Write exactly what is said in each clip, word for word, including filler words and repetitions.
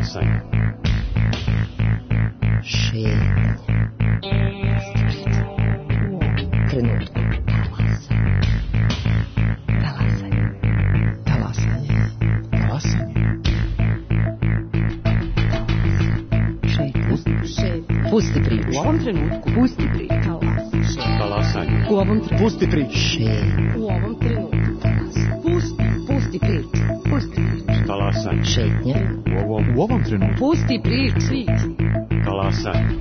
Talasaj. Šetnja. U trenutku. Talasaj. Talasaj. Talasaj. Pusti priču. U ovom trenutku. Pusti priču. Talasaj. U ovom trenutku. Pusti priču. U ovom trenutku. Pusti, pusti priču. Pusti priču. Talasaj. Šetnja. U ovom, U ovom trenutku. Pusti priču. talasaj.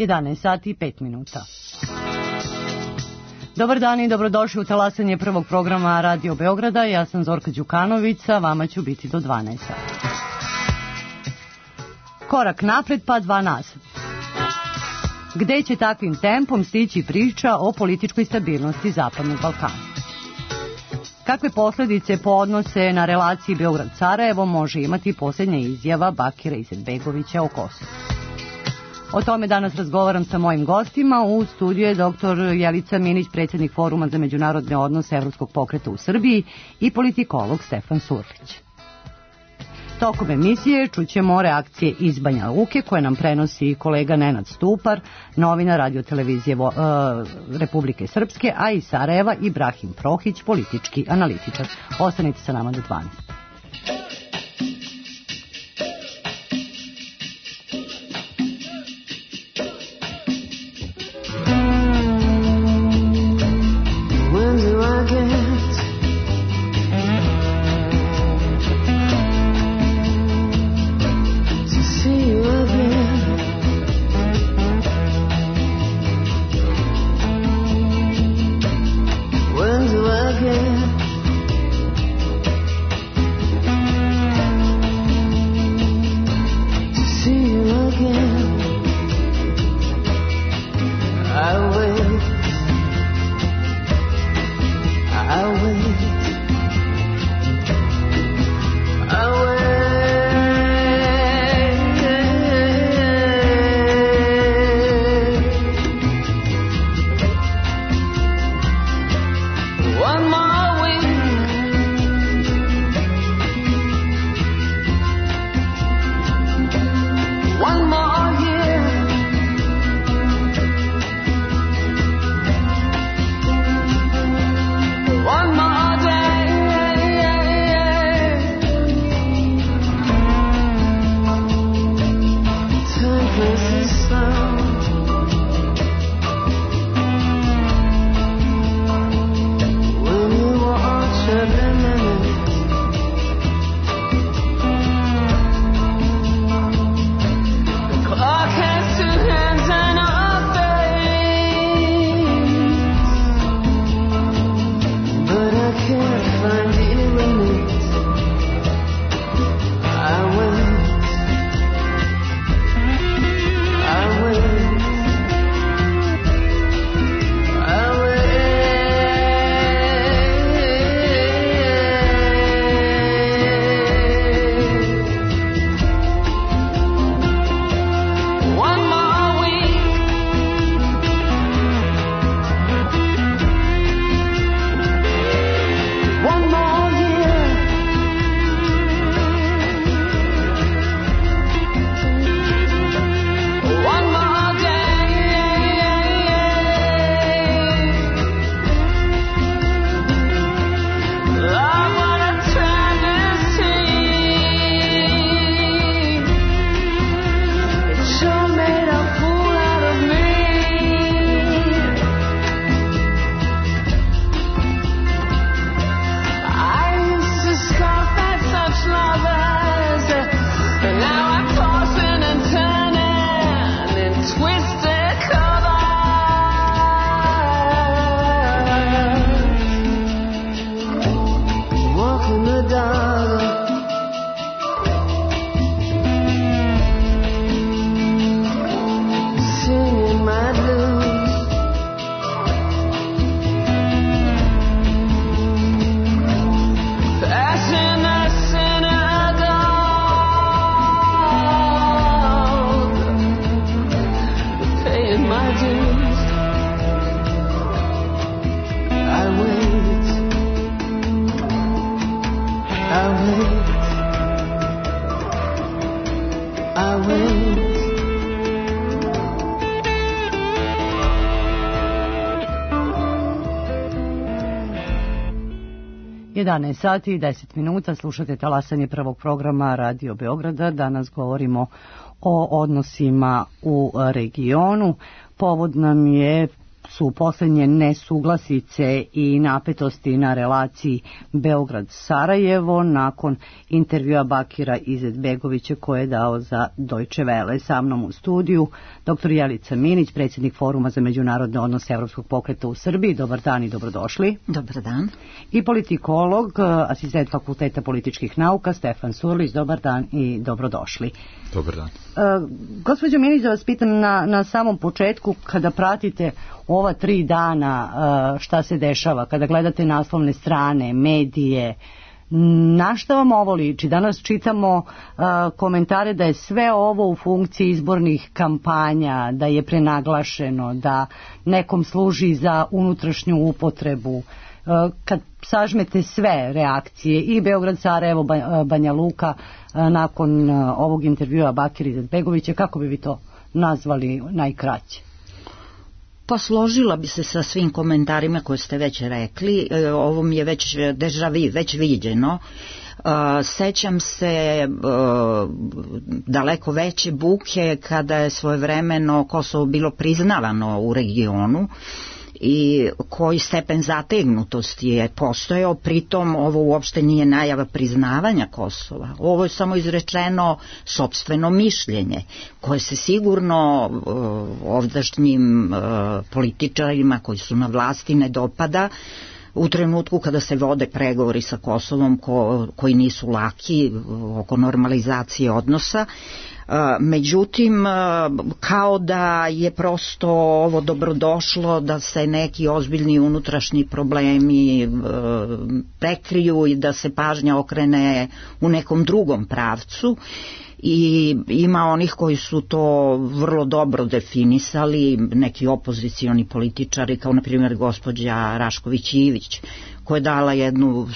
jedanaest sati i pet minuta. Dobar dan i dobrodošli u talasanje prvog programa Radio Beograda. Ja sam Zorka Đukanovića, vama ću biti do dvanaest sati. Korak napred pa dva nazad. Gde će takvim tempom stići priča o političkoj stabilnosti Zapadnog Balkana? Kakve posljedice po odnose na relaciji Beograd-Sarajevo može imati posljednja izjava Bakira Izetbegovića o Kosovu? O tome danas razgovaram sa mojim gostima. U studiju je doktor Jelica Minić, predsjednik Foruma za međunarodne odnose Evropskog pokreta u Srbiji i politikolog Stefan Surlić. Tokom emisije čućemo reakcije iz Banja Luke koje nam prenosi kolega Nenad Stupar, novinar radiotelevizije uh, Republike Srpske, a iz Sarajeva Ibrahim Prohić, politički analitičar. Ostanite sa nama do dvanaest. jedanaest sati i deset minuta, slušate talasanje prvog programa Radio Beograda. Danas govorimo o odnosima u regionu. Povod nam je su poslednje nesuglasice i napetosti na relaciji Beograd-Sarajevo nakon intervjua Bakira Izetbegovića koje je dao za Deutsche Welle. Sa mnom u studiju doktor Jelica Minić, predsjednik Foruma za međunarodne odnose Evropskog pokreta u Srbiji. Dobar dan i dobrodošli. Dobar dan. I politikolog, asistent Fakulteta političkih nauka Stefan Surlić. Dobar dan i dobrodošli. Dobar dan. Uh, gospođo Minić, da vas pitam na, na samom početku, kada pratite ova tri dana uh, šta se dešava, kada gledate naslovne strane, medije, na šta vam ovo liči? Danas čitamo uh, komentare da je sve ovo u funkciji izbornih kampanja, da je prenaglašeno, da nekom služi za unutrašnju upotrebu. Uh, kad sažmete sve reakcije i Beograd, Sarajevo, Banja Luka uh, nakon uh, ovog intervjua Bakira Izetbegovića, kako bi vi to nazvali najkraće? Pa složila bi se sa svim komentarima koje ste već rekli. Ovo mi je već deja vu, već viđeno. Sećam se daleko veće buke kada je svojevremeno Kosovo bilo priznavano u regionu i koji stepen zategnutosti je postojao. Pritom ovo uopšte nije najava priznavanja Kosova. Ovo je samo izrečeno sopstveno mišljenje koje se sigurno uh, ovdašnjim uh, političarima koji su na vlasti ne dopada u trenutku kada se vode pregovori sa Kosovom ko, koji nisu laki uh, oko normalizacije odnosa. Međutim, kao da je prosto ovo dobrodošlo da se neki ozbiljni unutrašnji problemi prekriju i da se pažnja okrene u nekom drugom pravcu. I ima onih koji su to vrlo dobro definisali, neki opozicioni političari kao na primjer gospođa Rašković-Ivić, koja je dala jednu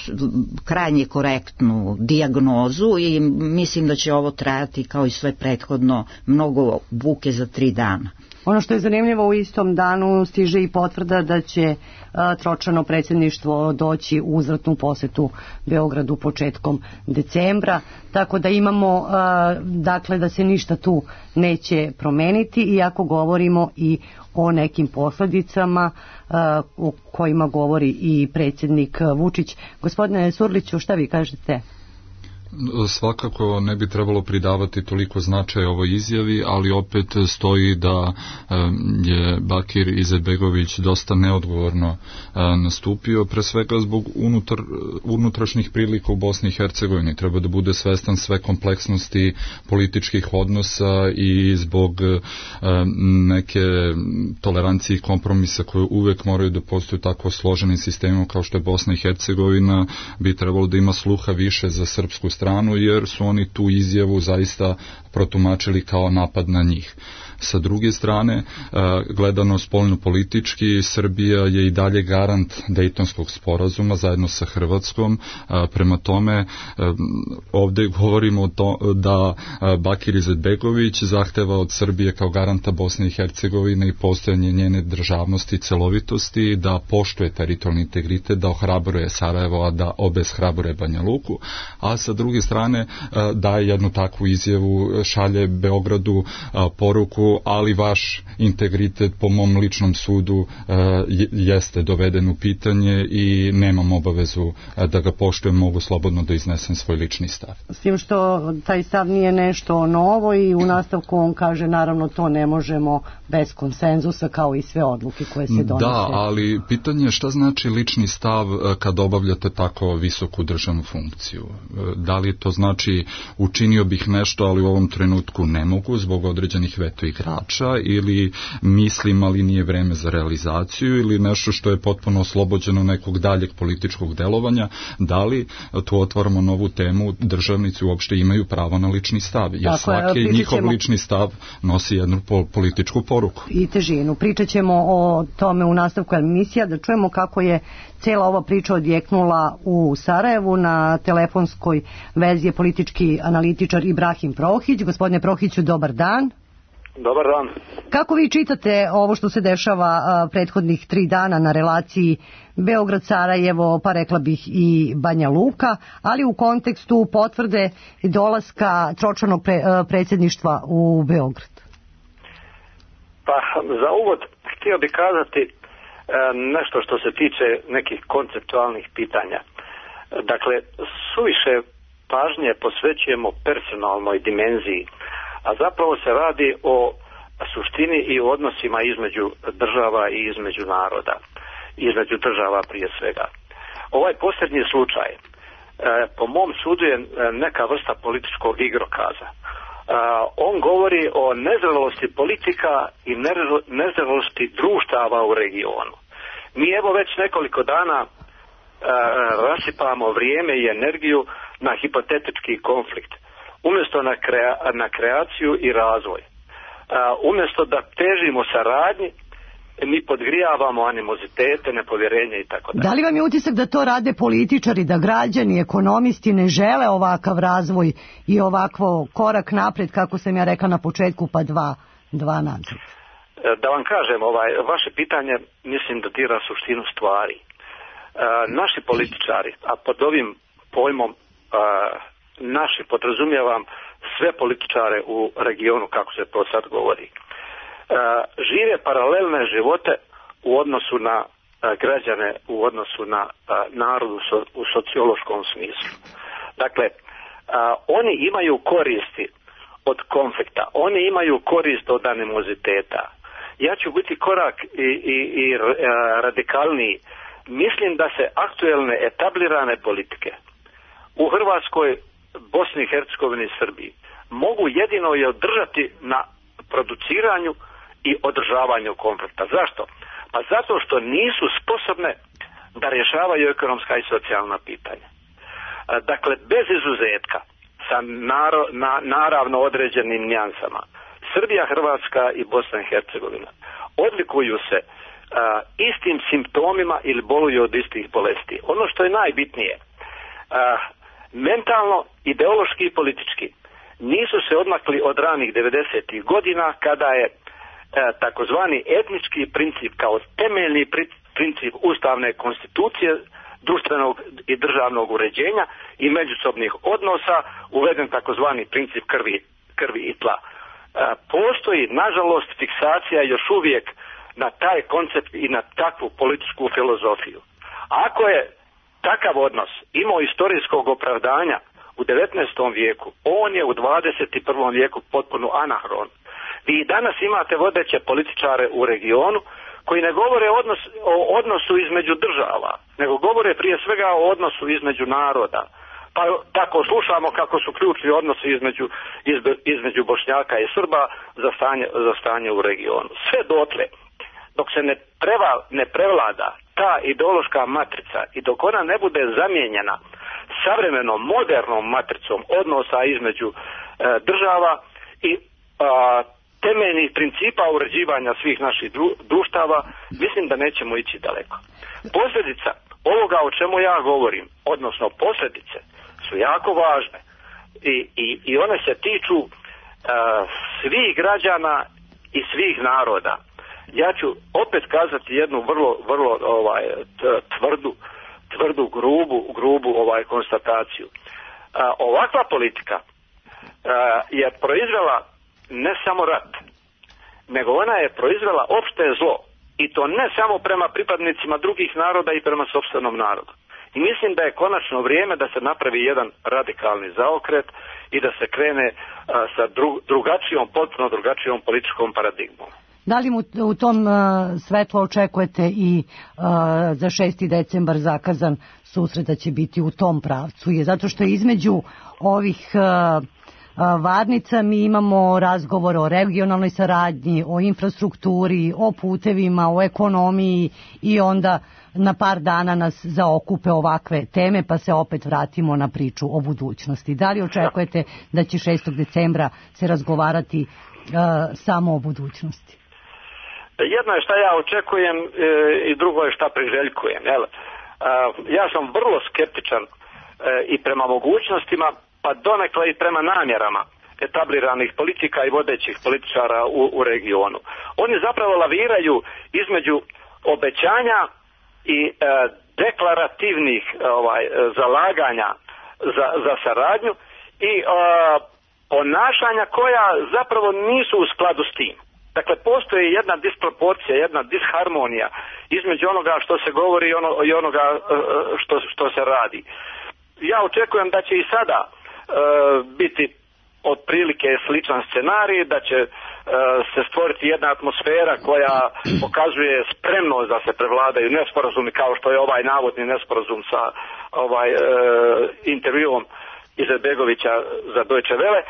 krajnje korektnu dijagnozu i mislim da će ovo trajati kao i sve prethodno mnogo buke za tri dana. Ono što je zanimljivo, u istom danu stiže i potvrda da će a, Tročano predsjedništvo doći u uzvratnu posetu Beogradu početkom decembra, tako da imamo a, dakle da se ništa tu neće promeniti, iako govorimo i o nekim posledicama a, o kojima govori i predsjednik Vučić. Gospodine Surliću, šta vi kažete? Svakako ne bi trebalo pridavati toliko značaja ovoj izjavi, ali opet stoji da je Bakir Izetbegović dosta neodgovorno nastupio, pre svega zbog unutar, unutrašnjih prilika u Bosni i Hercegovini. Treba da bude svestan sve kompleksnosti političkih odnosa i zbog neke tolerancije i kompromisa koje uvek moraju da postoju tako složenim sistemom kao što je Bosna i Hercegovina, bi trebalo da ima sluha više za srpsku stranu, jer su oni tu izjavu zaista protumačili kao napad na njih. Sa druge strane, gledano spoljno politički, Srbija je i dalje garant Dejtonskog sporazuma zajedno sa Hrvatskom. Prema tome, ovde govorimo o to da Bakir Izetbegović zahteva od Srbije kao garanta Bosne i Hercegovine i postojanje njene državnosti i celovitosti, da poštuje teritorijalni integritet, da ohrabruje Sarajevo, a da obeshrabruje Banja Luku, a sa druge strane daje jednu takvu izjavu, šalje Beogradu poruku, ali vaš integritet po mom ličnom sudu jeste doveden u pitanje i nemam obavezu da ga poštujem, mogu slobodno da iznesem svoj lični stav. S tim što taj stav nije nešto novo i u nastavku on kaže naravno to ne možemo bez konsenzusa kao i sve odluke koje se donose. Da, ali pitanje je šta znači lični stav kad obavljate tako visoku državnu funkciju. Da li to znači učinio bih nešto, ali u ovom trenutku ne mogu zbog određenih veto igrača, ili mislim ali nije vreme za realizaciju, ili nešto što je potpuno oslobođeno nekog daljeg političkog delovanja. Da li tu otvaramo novu temu, državnici uopšte imaju pravo na lični stav, jer tako svaki je, njihov lični stav nosi jednu političku poruku. I težinu. Pričat ćemo o tome u nastavku emisija, da čujemo kako je cela ova priča odjeknula u Sarajevu. Na telefonskoj vezi je politički analitičar Ibrahim Prohić. Gospodine Prohiću, dobar dan. Dobar dan. Kako vi čitate ovo što se dešava a, prethodnih tri dana na relaciji Beograd-Sarajevo, pa rekla bih i Banja Luka, ali u kontekstu potvrde dolaska tročlanog pre, predsjedništva u Beograd? Pa za uvod htio bih kazati e, nešto što se tiče nekih konceptualnih pitanja. Dakle, suviše pažnje posvećujemo personalnoj dimenziji, a zapravo se radi o suštini i o odnosima između država i između naroda, između država prije svega. Ovaj posljednji slučaj, e, po mom sudu je neka vrsta političkog igrokaza. E, on govori o nezrelosti politika i nezrelosti društava u regionu. Mi evo već nekoliko dana e, rasipamo vrijeme i energiju na hipotetički konflikt, umjesto na, krea, na kreaciju i razvoj. Uh, umjesto da težimo saradnji, mi podgrijavamo animozitete, nepovjerenje i tako dalje. Da li vam je utisak da to rade političari, da građani, ekonomisti ne žele ovakav razvoj i ovakvo korak napred, kako sam ja rekla na početku, pa dva, dva nazad? Da vam kažem, ovaj, vaše pitanje mislim da dira suštinu stvari. Uh, naši političari, a pod ovim pojmom uh, naši podrazumijevam sve političare u regionu, kako se to sad govori, e, žive paralelne živote u odnosu na e, građane, u odnosu na e, narod u, so, u sociološkom smislu. Dakle, e, oni imaju koristi od konflikta, oni imaju korist od animoziteta. Ja ću biti korak i, i, i e, radikalniji. Mislim da se aktuelne etablirane politike u Hrvatskoj, Bosni i Hercegovini i Srbiji mogu jedino i održati na produciranju i održavanju konflikta. Zašto? Pa zato što nisu sposobne da rješavaju ekonomska i socijalna pitanja. Dakle, bez izuzetka, sa naro, na, naravno određenim nijansama, Srbija, Hrvatska i Bosna i Hercegovina odlikuju se a, istim simptomima ili boluju od istih bolesti. Ono što je najbitnije, a, mentalno, ideološki i politički nisu se odmakli od ranih devedesetih godina, kada je e, takozvani etnički princip kao temeljni princip ustavne konstitucije, društvenog i državnog uređenja i međusobnih odnosa uveden takozvani princip krvi, krvi i tla. E, postoji, nažalost, fiksacija još uvijek na taj koncept i na takvu političku filozofiju. Ako je takav odnos imao istorijskog opravdanja u devetnaestom vijeku, on je u dvadeset prvom vijeku potpuno anahron. Vi danas imate vodeće političare u regionu koji ne govore odnos, o odnosu između država, nego govore prije svega o odnosu između naroda. Pa tako slušamo kako su ključni odnosi između, izbe, između Bošnjaka i Srba za stanje, za stanje u regionu. Sve dotle, dok se ne, preva, ne prevlada ta ideološka matrica i dok ona ne bude zamijenjena savremenom, modernom matricom odnosa između e, država i a, temeljnih principa uređivanja svih naših dru, društava, mislim da nećemo ići daleko. Posljedica ovoga o čemu ja govorim, odnosno posljedice, su jako važne i, i, i one se tiču a, svih građana i svih naroda. Ja ću opet kazati jednu vrlo, vrlo ovaj, tvrdu, tvrdu, grubu, grubu ovaj konstataciju. A, ovakva politika a, je proizvela ne samo rat, nego ona je proizvela opšte zlo. I to ne samo prema pripadnicima drugih naroda i prema sopstvenom narodu. I mislim da je konačno vrijeme da se napravi jedan radikalni zaokret i da se krene a, sa dru, drugačijom, potpuno drugačijom političkom paradigmom. Da li mu u tom uh, svetlu očekujete i uh, za šesti decembar zakazan susret da će biti u tom pravcu? Je zato što između ovih uh, uh, varnica mi imamo razgovor o regionalnoj saradnji, o infrastrukturi, o putevima, o ekonomiji i onda na par dana nas zaokupe ovakve teme pa se opet vratimo na priču o budućnosti. Da li očekujete da će šestog decembra se razgovarati uh, samo o budućnosti? Jedno je šta ja očekujem e, i drugo je šta priželjkujem. Jel? E, ja sam vrlo skeptičan e, i prema mogućnostima, pa donekle i prema namjerama etabliranih politika i vodećih političara u, u regionu. Oni zapravo laviraju između obećanja i e, deklarativnih ovaj, zalaganja za, za saradnju i e, ponašanja koja zapravo nisu u skladu s tim. Dakle, postoji jedna disproporcija, jedna disharmonija između onoga što se govori i, ono, i onoga e, što, što se radi. Ja očekujem da će i sada e, biti otprilike sličan scenarij, da će e, se stvoriti jedna atmosfera koja pokazuje spremnost da se prevladaju nesporazumi, kao što je ovaj navodni nesporazum sa ovaj e, intervjuom Izetbegovića za Deutsche Welle. E,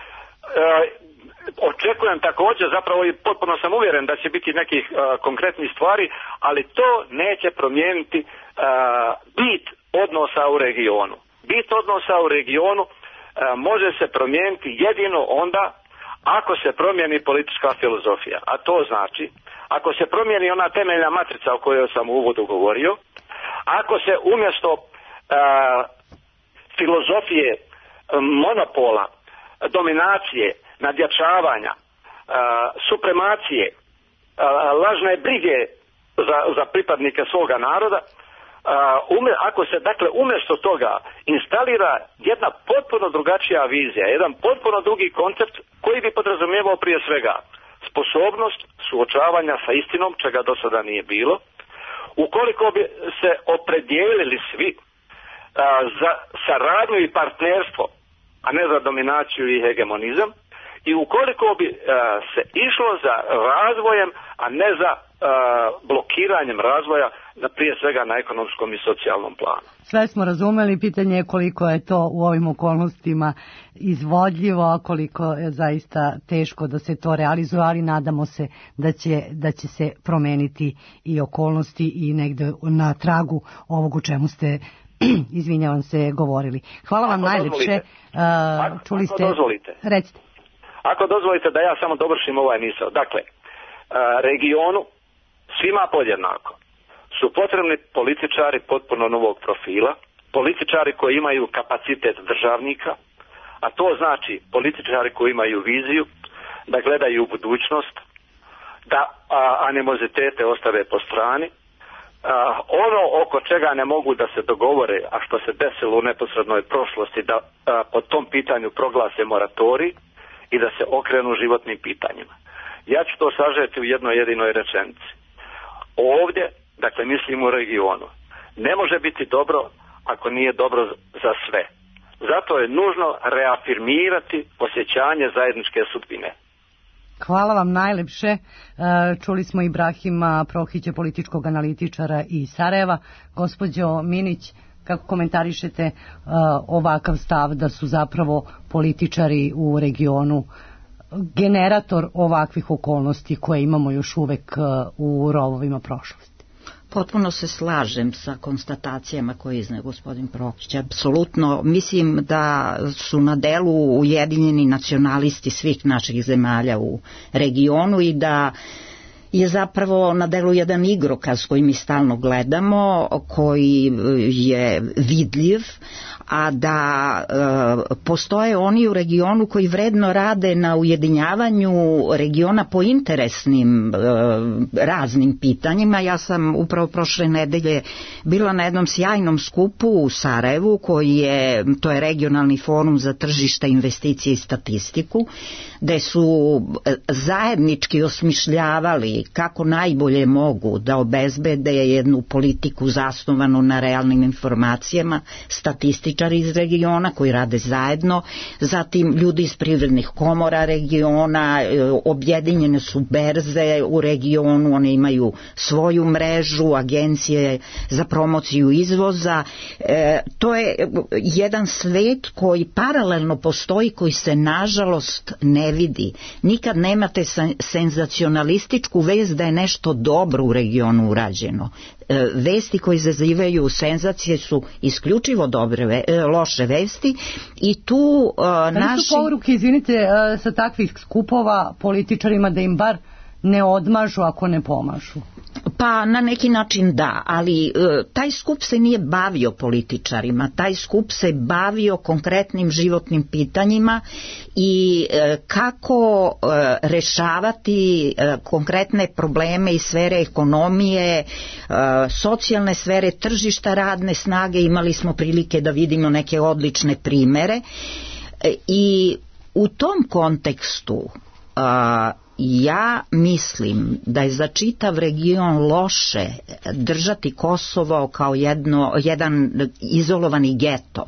očekujem također, zapravo i potpuno sam uvjeren da će biti nekih e, konkretnih stvari, ali to neće promijeniti e, bit odnosa u regionu. Bit odnosa u regionu e, može se promijeniti jedino onda ako se promijeni politička filozofija. A to znači, ako se promijeni ona temeljna matrica o kojoj sam u uvodu govorio, ako se umjesto e, filozofije monopola, dominacije, nadjačavanja, supremacije, lažne brige za, za pripadnike svoga naroda, ako se dakle umjesto toga instalira jedna potpuno drugačija vizija, jedan potpuno drugi koncept koji bi podrazumijevao prije svega sposobnost suočavanja sa istinom, čega do sada nije bilo, ukoliko bi se opredijelili svi za saradnju i partnerstvo, a ne za dominaciju i hegemonizam, i ukoliko bi uh, se išlo za razvojem, a ne za uh, blokiranjem razvoja, na prije svega na ekonomskom i socijalnom planu. Sve smo razumeli, pitanje je koliko je to u ovim okolnostima izvodljivo, a koliko je zaista teško da se to realizuje, ali nadamo se da će, da će se promeniti i okolnosti i negde na tragu ovog u čemu ste izvinjavam se, govorili. Hvala vam ako najlepše. Uh, ako, čuli ako ste... dozvolite. Recite. Ako dozvolite da ja samo dovršim ovaj misao. Dakle, uh, regionu svima podjednako su potrebni političari potpuno novog profila, političari koji imaju kapacitet državnika, a to znači političari koji imaju viziju, da gledaju u budućnost, da a, animozitete ostave po strani, Uh, ono oko čega ne mogu da se dogovore, a što se desilo u neposrednoj prošlosti, da uh, po tom pitanju proglase moratorij i da se okrenu životnim pitanjima. Ja ću to sažeti u jednoj jedinoj rečenici. Ovdje, dakle mislim u regionu, ne može biti dobro ako nije dobro za sve. Zato je nužno reafirmirati osjećanje zajedničke sudbine. Hvala vam najlepše. Čuli smo Ibrahima Prohića, političkog analitičara iz Sarajeva. Gospođo Minić, kako komentarišete ovakav stav da su zapravo političari u regionu generator ovakvih okolnosti koje imamo još uvek u rovovima prošlosti? Potpuno se slažem sa konstatacijama koje izneo gospodin Prohić. Apsolutno mislim da su na delu ujedinjeni nacionalisti svih naših zemalja u regionu i da je zapravo na delu jedan igrokaz koji mi stalno gledamo, koji je vidljiv, a da e, postoje oni u regionu koji vredno rade na ujedinjavanju regiona po interesnim e, raznim pitanjima. Ja sam upravo prošle nedelje bila na jednom sjajnom skupu u Sarajevu, koji je, to je regionalni forum za tržište, investicije i statistiku, gde su zajednički osmišljavali kako najbolje mogu da obezbede jednu politiku zasnovanu na realnim informacijama, statističari iz regiona koji rade zajedno, zatim ljudi iz privrednih komora regiona, objedinjene su berze u regionu, one imaju svoju mrežu, agencije za promociju izvoza. E, to je jedan svet koji paralelno postoji, koji se nažalost ne vidi. Nikad nemate senzacionalističku vest da je nešto dobro u regionu urađeno. E, vesti koje izazivaju senzacije su isključivo dobre, ve, e, loše vesti i tu e, naši... Ali su poruke, izvinite, e, sa takvih skupova političarima da im bar ne odmažu ako ne pomažu? Pa na neki način da, ali e, taj skup se nije bavio političarima, taj skup se bavio konkretnim životnim pitanjima i e, kako e, rešavati e, konkretne probleme iz sfere ekonomije, e, socijalne sfere, tržišta radne snage. Imali smo prilike da vidimo neke odlične primere e, i u tom kontekstu a, ja mislim da je za čitav region loše držati Kosovo kao jedno, jedan izolovani geto,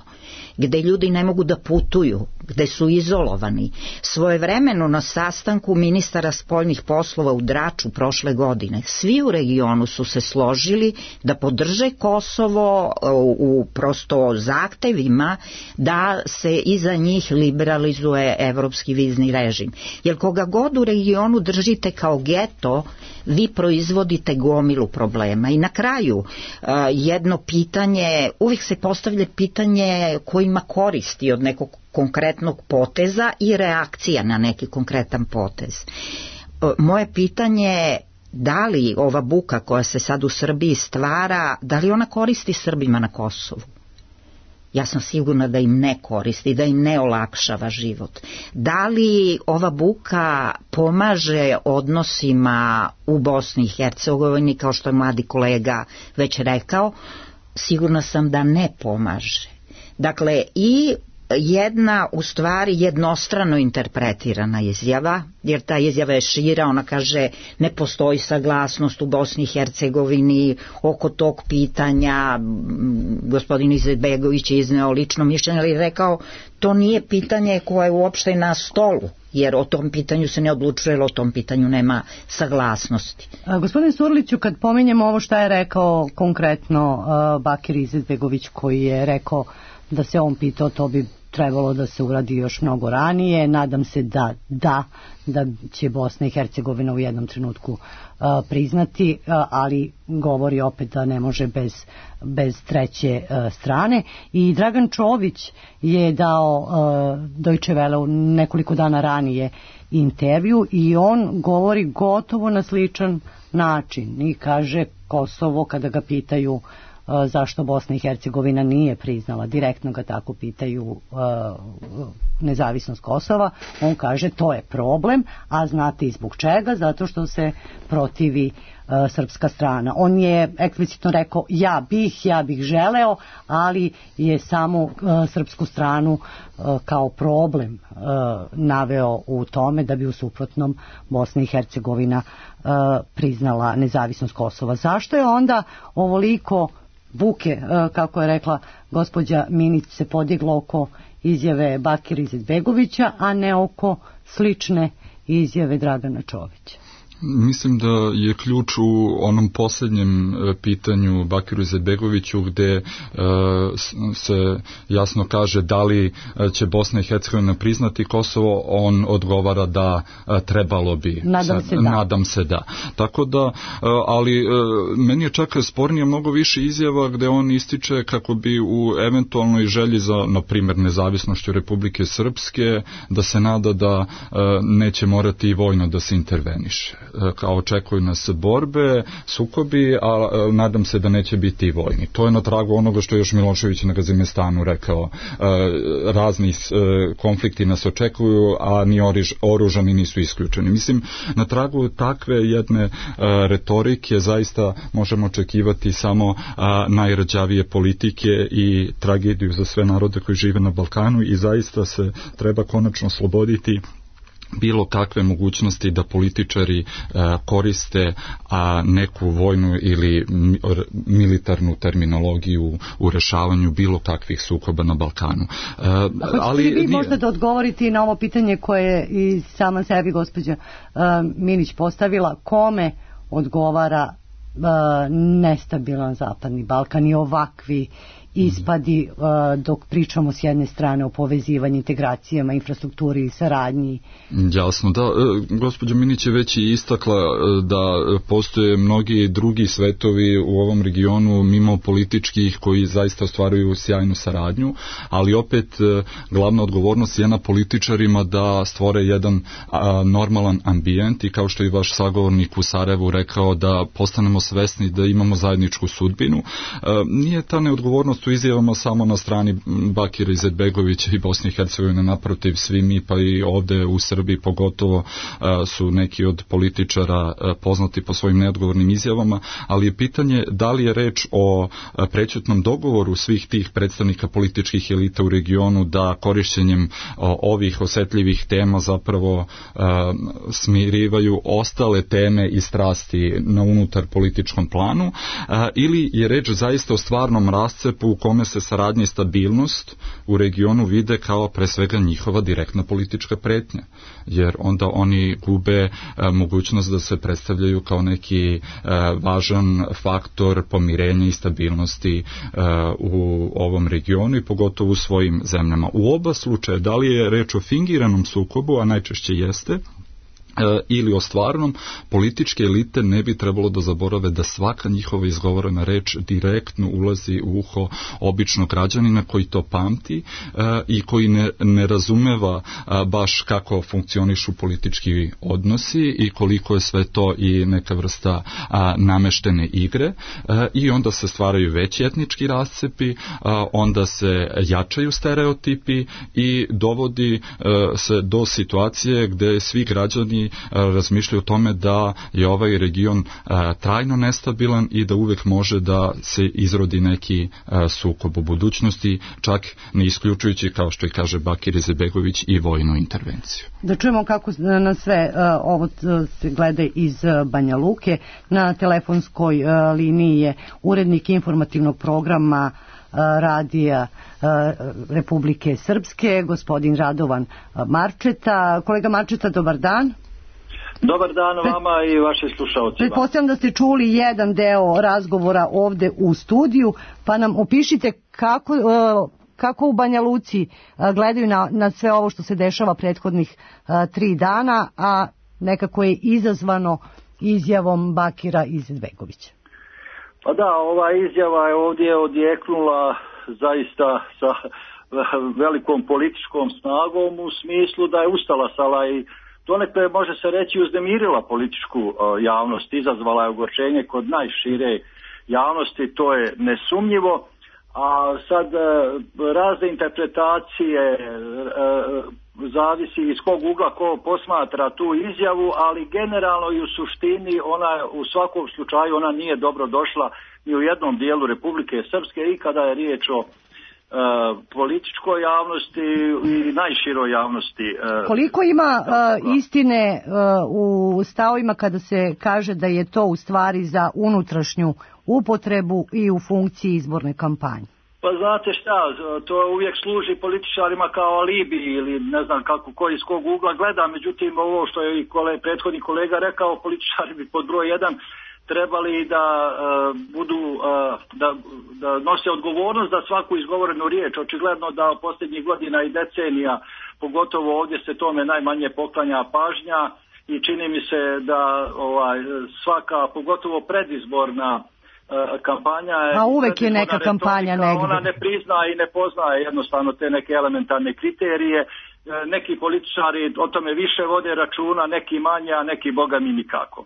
gde ljudi ne mogu da putuju, gde su izolovani. Svojevremeno na sastanku ministara spoljnih poslova u Draču prošle godine, svi u regionu su se složili da podrže Kosovo u prosto zahtevima da se iza njih liberalizuje evropski vizni režim. Jer koga god u regionu držite kao geto, vi proizvodite gomilu problema. I na kraju jedno pitanje, uvijek se postavlja pitanje ko ima koristi od nekog konkretnog poteza i reakcija na neki konkretan potez. Moje pitanje je da li ova buka koja se sad u Srbiji stvara, da li ona koristi Srbima na Kosovu? Ja sam sigurna da im ne koristi, da im ne olakšava život. Da li ova buka pomaže odnosima u Bosni i Hercegovini, kao što je mladi kolega već rekao? Sigurna sam da ne pomaže. Dakle, i jedna u stvari jednostrano interpretirana izjava, jer ta izjava je šira, ona kaže ne postoji saglasnost u Bosni i Hercegovini oko tog pitanja. Gospodin Izetbegović je izneo lično mišljenje, ali je rekao to nije pitanje koje je uopšte na stolu, jer o tom pitanju se ne odlučuje, jer o tom pitanju nema saglasnosti. A, gospodin Surliću, kad pominjemo ovo šta je rekao konkretno uh, Bakir Izetbegović, koji je rekao da se on pitao, to bi trebalo da se uradi još mnogo ranije. Nadam se da da, da će Bosna i Hercegovina u jednom trenutku uh, priznati, uh, ali govori opet da ne može bez, bez treće uh, strane. I Dragan Čović je dao uh, Deutsche Welle nekoliko dana ranije intervju i on govori gotovo na sličan način i kaže Kosovo, kada ga pitaju zašto Bosna i Hercegovina nije priznala, direktno ga tako pitaju, uh, nezavisnost Kosova, on kaže to je problem, a znate i zbog čega? Zato što se protivi uh, srpska strana. On je eksplicitno rekao ja bih, ja bih želeo, ali je samo uh, srpsku stranu uh, kao problem uh, naveo u tome da bi u suprotnom Bosna i Hercegovina uh, priznala nezavisnost Kosova. Zašto je onda ovoliko buke, kako je rekla gospođa Minić, se podiglo oko izjave Bakira Izetbegovića, a ne oko slične izjave Dragana Čovića? Mislim da je ključ u onom posljednjem pitanju Bakiru Izetbegoviću, gde uh, se jasno kaže da li će Bosna i Hercegovina priznati Kosovo. On odgovara da uh, trebalo bi. Nadam se da. Nadam se da. Tako da, uh, ali uh, meni je čak spornije mnogo više izjava gde on ističe kako bi u eventualnoj želji za, na primjer, nezavisnošću Republike Srpske, da se nada da uh, neće morati i vojno da se interveniše. Kao očekuju nas borbe, sukobi, a nadam se da neće biti i vojni. To je na tragu onoga što je još Milošević na Gazimestanu rekao. Razni konflikti nas očekuju, a ni oružani nisu isključeni. Mislim, na tragu takve jedne retorike zaista možemo očekivati samo najrđavije politike i tragediju za sve narode koji žive na Balkanu i zaista se treba konačno osloboditi bilo kakve mogućnosti da političari e, koriste a, neku vojnu ili militarnu terminologiju u rešavanju bilo kakvih sukoba na Balkanu. E, ali vi nije... možda da odgovorite na ovo pitanje koje je i sama sebi gospođa e, Minić postavila, kome odgovara e, nestabilan Zapadni Balkan i ovakvi ispadi dok pričamo s jedne strane o povezivanju, integracijama, infrastrukturi i saradnji. Jasno, da, gospođa Minić je već i istakla da postoje mnogi drugi svetovi u ovom regionu mimo političkih koji zaista ostvaruju sjajnu saradnju, ali opet glavna odgovornost je na političarima da stvore jedan normalan ambijent i kao što je i vaš sagovornik u Sarajevu rekao da postanemo svesni da imamo zajedničku sudbinu. Nije ta neodgovornost u izjavama samo na strani Bakira Izetbegovića i Bosne i Hercegovine, naprotiv, svi mi pa i ovde u Srbiji pogotovo su neki od političara poznati po svojim neodgovornim izjavama, ali je pitanje da li je reč o prećutnom dogovoru svih tih predstavnika političkih elita u regionu da korišćenjem ovih osetljivih tema zapravo smirivaju ostale teme i strasti na unutar političkom planu, ili je reč zaista o stvarnom rascepu u kome se saradnja i stabilnost u regionu vide kao pre svega njihova direktna politička pretnja, jer onda oni gube mogućnost da se predstavljaju kao neki važan faktor pomirenja i stabilnosti u ovom regionu i pogotovo u svojim zemljama. U oba slučaja, da li je reč o fingiranom sukobu, a najčešće jeste, ili o stvarnom, političke elite ne bi trebalo da zaborave da svaka njihova izgovorena reč direktno ulazi u uho običnog građanina koji to pamti i koji ne, ne razumeva baš kako funkcionišu politički odnosi i koliko je sve to i neka vrsta nameštene igre, i onda se stvaraju veći etnički rascepi, onda se jačaju stereotipi i dovodi se do situacije gde svi građani razmišljaju o tome da je ovaj region a, trajno nestabilan i da uvek može da se izrodi neki a, sukob u budućnosti, čak ne isključujući, kao što i kaže Bakir Izetbegović, i vojnu intervenciju. Da čujemo kako na sve a, ovo se gleda iz Banja Luke. Na telefonskoj a, liniji je urednik informativnog programa radija Republike Srpske, gospodin Radovan Marčeta. Kolega Marčeta, dobar dan. Dobar dan vama i vašim slušalcima. Pretpostavljam da ste čuli jedan deo razgovora ovde u studiju, pa nam opišite kako, kako u Banja Luci gledaju na, na sve ovo što se dešava prethodnih tri dana, a nekako je izazvano izjavom Bakira Izetbegovića. Pa da, ova izjava je ovdje odjeknula zaista sa velikom političkom snagom u smislu da je ustalasala i donekle može se reći uznemirila političku javnost, izazvala je ogorčenje kod najšire javnosti, to je nesumnjivo, a sad razne interpretacije zavisi iz kog ugla ko posmatra tu izjavu, ali generalno i u suštini ona u svakom slučaju ona nije dobro došla ni u jednom dijelu Republike Srpske i kada je riječ o Uh, političkoj javnosti i najširoj javnosti. Uh, Koliko ima uh, istine uh, u stavovima kada se kaže da je to u stvari za unutrašnju upotrebu i u funkciji izborne kampanje? Pa znate šta, to uvijek služi političarima kao alibi ili ne znam kako koji iz kog ugla gleda, međutim ovo što je i kole, prethodni kolega rekao, političari bi pod broj jedan trebali da uh, budu uh, da, da nose odgovornost za svaku izgovorenu riječ. Očigledno da posljednjih godina i decenija, pogotovo ovdje se tome najmanje poklanja pažnja i čini mi se da ovaj svaka, pogotovo predizborna uh, kampanja je... A uvek je neka kampanja negdje. Ona ne prizna i ne poznaje jednostavno te neke elementarne kriterije. Neki političari o tome više vode računa, neki manje, a neki boga mi nikako.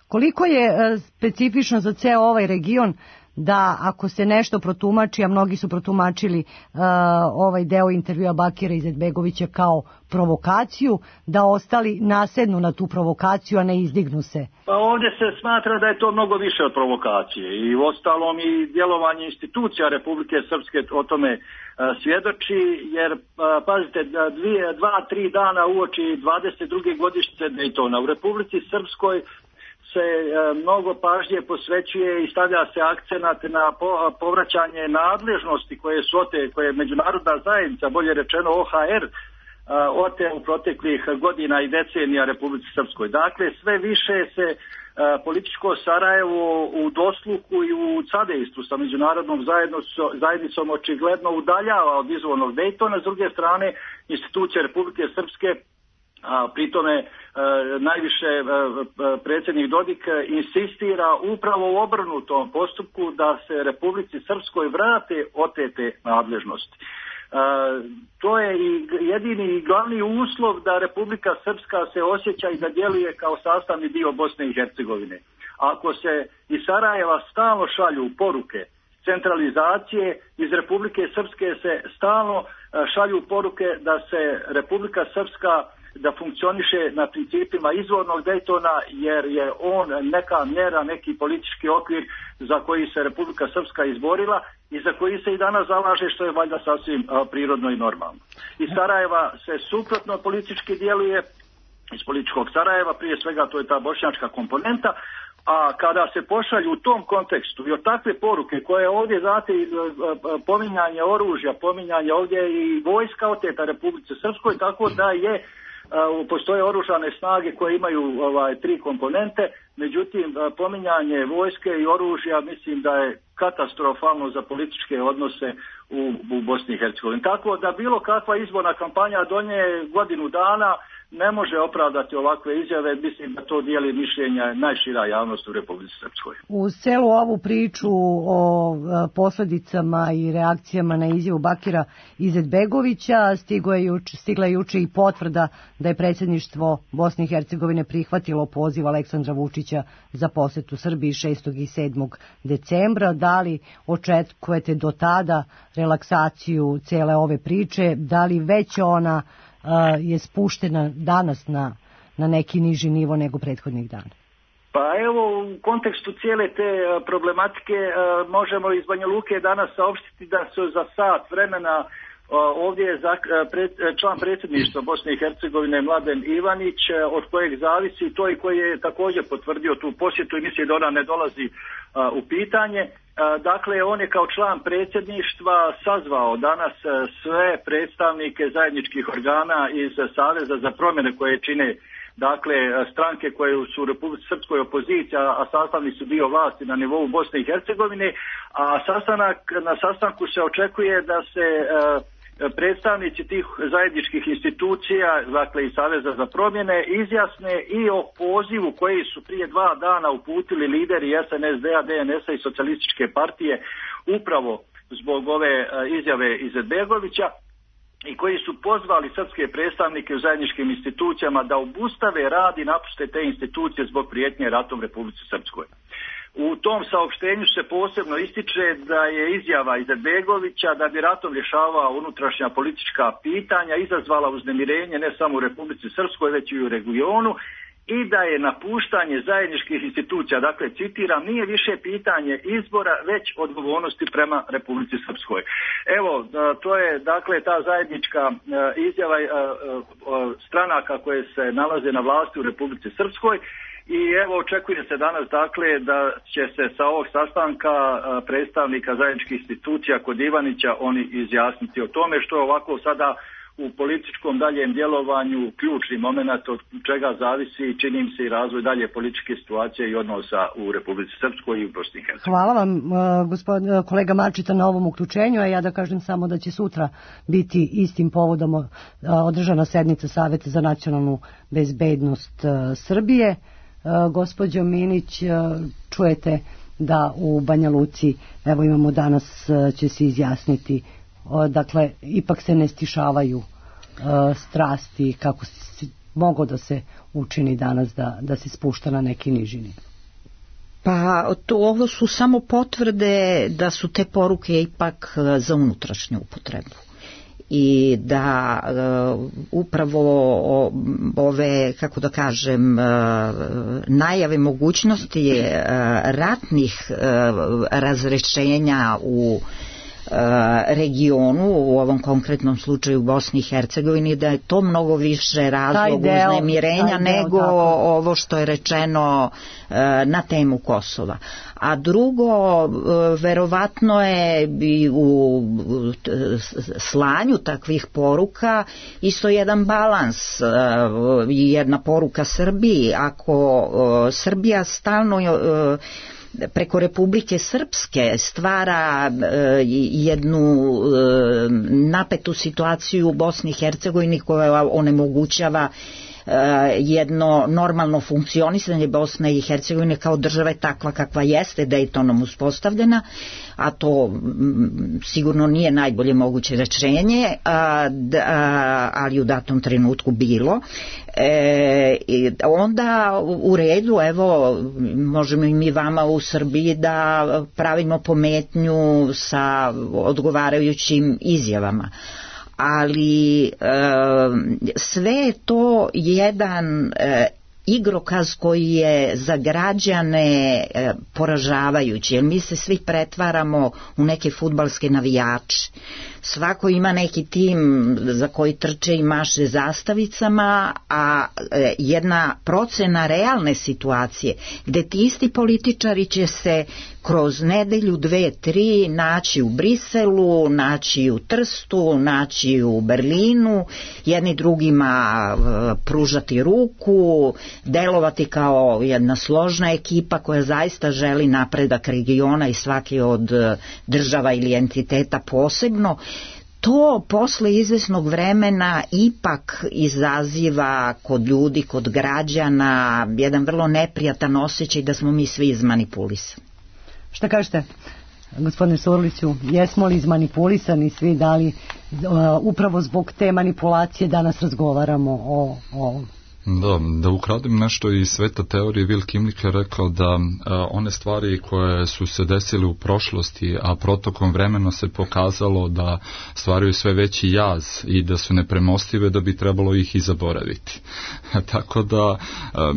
Koliko je specifično za ceo ovaj region da ako se nešto protumači, a mnogi su protumačili uh, ovaj deo intervjua Bakira Izetbegovića kao provokaciju, da ostali nasednu na tu provokaciju, a ne izdignu se? Pa ovdje se smatra da je to mnogo više od provokacije i ostalom i djelovanje institucija Republike Srpske o tome uh, svjedoči, jer uh, pazite, dvije, dva, tri dana uoči dvadeset druge godišnjice Dejtona u Republici Srpskoj se mnogo pažnje posvećuje i stavlja se akcenat na povraćanje nadležnosti koje su ote, koje je međunarodna zajednica, bolje rečeno O H R, ote u proteklih godina i decenija Republici Srpskoj. Dakle, sve više se političko Sarajevo u dosluku i u sadejstvu sa međunarodnom zajednicom očigledno udaljava od izvornog Dejtona. S druge strane, institucije Republike Srpske, a pritome e, najviše e, predsjednik Dodik insistira upravo u obrnutom postupku da se Republici Srpskoj vrate otete nadležnosti. E, to je i jedini i glavni uslov da Republika Srpska se osjeća i da djeluje kao sastavni dio Bosne i Hercegovine. Ako se iz Sarajeva stalno šalju poruke centralizacije, iz Republike Srpske se stalno šalju poruke da se Republika Srpska da funkcioniše na principima izvornog Dejtona, jer je on neka mjera, neki politički okvir za koji se Republika Srpska izborila i za koji se i danas zalaže, što je valjda sasvim prirodno i normalno. Iz Sarajeva se suprotno politički djeluje, iz političkog Sarajeva, prije svega to je ta bošnjačka komponenta, a kada se pošalju u tom kontekstu i od takve poruke koje ovdje, znate, pominjanje oružja, pominjanje ovdje i vojska oteta Republike Srpskoj, tako da je postoje oružane snage koje imaju ovaj, tri komponente, međutim pominjanje vojske i oružja mislim da je katastrofalno za političke odnose u, u Bosni i Hercegovini. Tako da bilo kakva izborna kampanja do nje godinu dana ne može opravdati ovakve izjave, mislim da to dijeli mišljenja najšira javnost u Republici Srpskoj. U celu ovu priču o posljedicama i reakcijama na izjavu Bakira Izetbegovića stigla je juče, stigla je juče i potvrda da je predsjedništvo Bosne i Hercegovine prihvatilo poziv Aleksandra Vučića za posjetu Srbiji šestog i sedmog decembra. Da li očekujete do tada relaksaciju cele ove priče? Da li već ona Uh, je spuštena danas na, na neki niži nivo nego prethodnih dana? Pa evo, u kontekstu cijele te uh, problematike uh, možemo iz Banja Luke danas saopštiti da su za sat vremena uh, ovdje je za, uh, pred, član predsjedništva Bosne i Hercegovine Mladen Ivanić, uh, od kojeg zavisi to i koji je također potvrdio tu posjetu i misli da ona ne dolazi uh, u pitanje. Dakle, on je kao član predsjedništva sazvao danas sve predstavnike zajedničkih organa iz Saveza za promjene koje čine, dakle, stranke koje su u Republici Srpskoj opoziciji, a sastavni su dio vlasti na nivou Bosne i Hercegovine, a sastanak, na sastanku se očekuje da se predstavnici tih zajedničkih institucija, dakle i Saveza za promjene, izjasne i o pozivu koji su prije dva dana uputili lideri S N S D-a, D N S-a i Socijalističke partije upravo zbog ove izjave Izetbegovića i koji su pozvali srpske predstavnike u zajedničkim institucijama da obustave rad i napuste te institucije zbog prijetnje ratom Republici Srpskoj. U tom saopštenju se posebno ističe da je izjava Izetbegovića da bi ratom rješavao unutrašnja politička pitanja izazvala uznemirenje ne samo u Republici Srpskoj već i u regionu i da je napuštanje zajedničkih institucija, dakle citiram, nije više pitanje izbora već odgovornosti prema Republici Srpskoj. Evo, to je dakle ta zajednička izjava stranaka koje se nalaze na vlasti u Republici Srpskoj. I evo očekuje se danas dakle da će se sa ovog sastanka predstavnika zajedničkih institucija kod Ivanića oni izjasniti o tome, što je ovako sada u političkom daljem djelovanju ključni moment od čega zavisi, čini mi se, i razvoj dalje političke situacije i odnosa u Republici Srpskoj i u Bosni i Hercegovini. Hvala vam gospod, kolega Marčita na ovom uključenju, a ja da kažem samo da će sutra biti istim povodom održana sednica Saveta za nacionalnu bezbednost Srbije. Gospođo Minić, čujete da u Banja Luci, evo imamo danas, će se izjasniti, dakle, ipak se ne stišavaju strasti kako mogo da se učini danas da, da se spušta na neki niži nivo. Pa to, ovo su samo potvrde da su te poruke ipak za unutrašnju upotrebu i da uh, upravo ove, kako da kažem, uh, najave mogućnosti uh, ratnih uh, razrešenja u regionu, u ovom konkretnom slučaju u Bosni i Hercegovini, da je to mnogo više razlog uznemirenja nego deo, ovo što je rečeno na temu Kosova. A drugo, verovatno je i u slanju takvih poruka isto jedan balans i jedna poruka Srbiji. Ako Srbija stalno preko Republike Srpske stvara jednu napetu situaciju u Bosni i Hercegovini koja onemogućava jedno normalno funkcionisanje Bosne i Hercegovine kao države takva kakva jeste Daytonom uspostavljena, a to sigurno nije najbolje moguće rešenje, ali u datom trenutku bilo. E, onda u redu, evo, možemo i mi vama u Srbiji da pravimo pometnju sa odgovarajućim izjavama. Ali e, sve je to jedan e, igrokaz koji je za građane e, poražavajući, jer mi se svi pretvaramo u neke fudbalske navijače. Svako ima neki tim za koji trče i maše zastavicama, a e, jedna procena realne situacije gde ti isti političari će se kroz nedelju, dve, tri naći u Briselu, naći u Trstu, naći u Berlinu, jedni drugima pružati ruku, delovati kao jedna složna ekipa koja zaista želi napredak regiona i svake od država ili entiteta posebno. To posle izvesnog vremena ipak izaziva kod ljudi, kod građana jedan vrlo neprijatan osjećaj da smo mi svi izmanipulisani. Šta kažete, gospodine Surliću, jesmo li izmanipulisani svi, da li uh, upravo zbog te manipulacije danas razgovaramo o ovom? Da, da ukradem nešto iz sveta teorije, Will Kimlik je rekao da a, one stvari koje su se desile u prošlosti, a protokom vremena se pokazalo da stvaraju sve veći jaz i da su nepremostive, da bi trebalo ih i zaboraviti. Tako da a,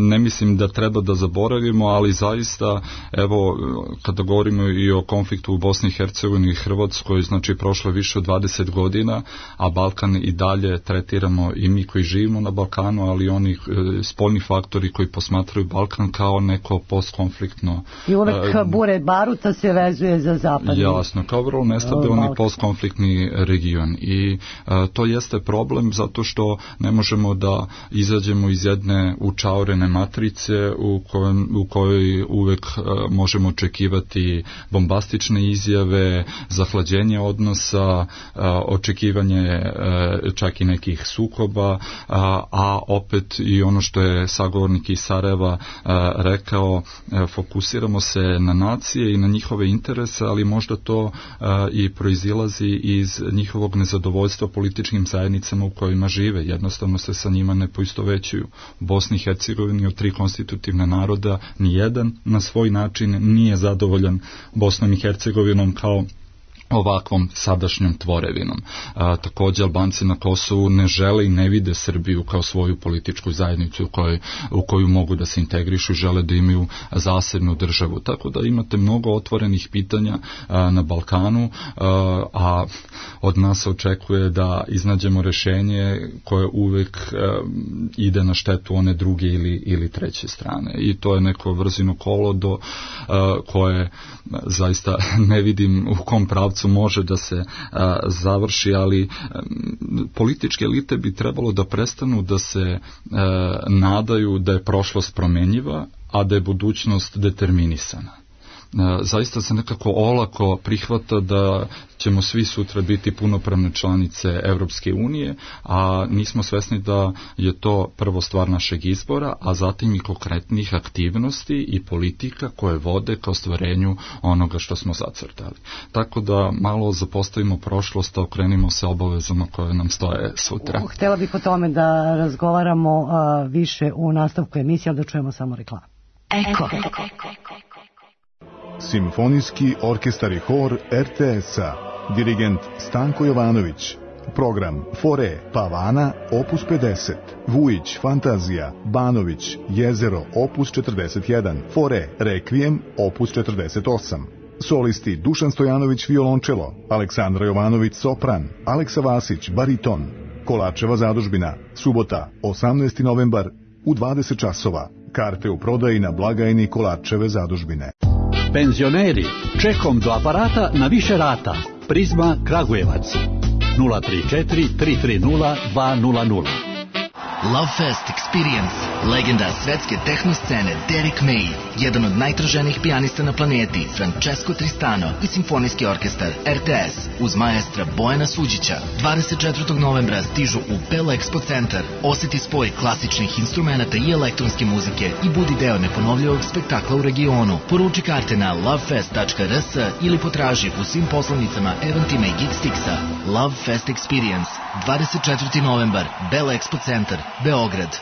ne mislim da treba da zaboravimo, ali zaista, evo, kada govorimo i o konfliktu u Bosni i Hercegovini i Hrvatskoj, znači prošlo više od dvadeset godina, a Balkan i dalje tretiramo i mi koji živimo na Balkanu, Balkanu, ali oni e, spoljni faktori koji posmatraju Balkan kao neko postkonfliktno... I uvek e, bure baruta se vezuje za zapad. Jasno, kao vrlo nestabilni postkonfliktni region. I e, to jeste problem zato što ne možemo da izađemo iz jedne učaurene matrice u, kojem, u kojoj uvek e, možemo očekivati bombastične izjave, zahlađenje odnosa, e, očekivanje e, čak i nekih sukoba, a, a opet i ono što je sagovornik iz Sarajeva a, rekao, a, fokusiramo se na nacije i na njihove interese, ali možda to a, i proizilazi iz njihovog nezadovoljstva političkim zajednicama u kojima žive. Jednostavno se sa njima ne poistovećuju. U Bosni i Hercegovini od tri konstitutivne naroda nijedan na svoj način nije zadovoljan Bosnom i Hercegovinom kao ovakvom sadašnjom tvorevinom. A, također Albanci na Kosovu ne žele i ne vide Srbiju kao svoju političku zajednicu u kojoj, u koju mogu da se integrišu i žele da imaju zasebnu državu. Tako da imate mnogo otvorenih pitanja a, na Balkanu, a, a od nas očekuje da iznađemo rešenje koje uvek a, ide na štetu one druge ili, ili treće strane. I to je neko vrzino kolo do a, koje a, zaista ne vidim u kom pravcu može da se a, završi, ali a, političke elite bi trebalo da prestanu da se a, nadaju da je prošlost promenjiva, a da je budućnost determinisana. Zaista se nekako olako prihvata da ćemo svi sutra biti punopravne članice Evropske unije, a nismo svesni da je to prvo stvar našeg izbora, a zatim i konkretnih aktivnosti i politika koje vode ka ostvarenju onoga što smo zacrtali. Tako da malo zapostavimo prošlost, a okrenimo se obavezama koje nam stoje sutra. Htjela bih o tome da razgovaramo uh, više u nastavku emisije, ali da čujemo samo reklamu. Eko. Simfonijski orkestar i hor er te es-a. Dirigent Stanko Jovanović. Program Fore Pavana opus pedeset. Vujić Fantazija. Banović Jezero opus četrdeset jedan. Fore Rekvijem opus četrdeset osam. Solisti Dušan Stojanović violončelo, Aleksandra Jovanović sopran, Aleksa Vasić bariton. Kolačeva zadužbina, subota, osamnaesti novembar u dvadeset časova. Karte u prodaji na blagajni Kolačeve zadužbine. Penzioneri, čekom do aparata na više rata. Prizma Kragujevac. nula tri četiri tri tri nula dva nula nula. Lovefest Experience, legenda svetske tehno scene Derek May, jedan od najtraženijih pijanista na planeti, Francesco Tristano i simfonijski orkestar R T S uz maestra Bojana Suđića. dvadeset četvrtog novembra stižu u Bell Expo centar. Oseti spoj klasičnih instrumenta i elektronske muzike i budi deo neponovljivog spektakla u regionu. Poruči karte na lovefest tačka r s ili potraži u svim poslovnicama Eventima i Geekstixa. Lovefest Experience, dvadeset četvrtog novembar, Bell Expo centar, Beograd.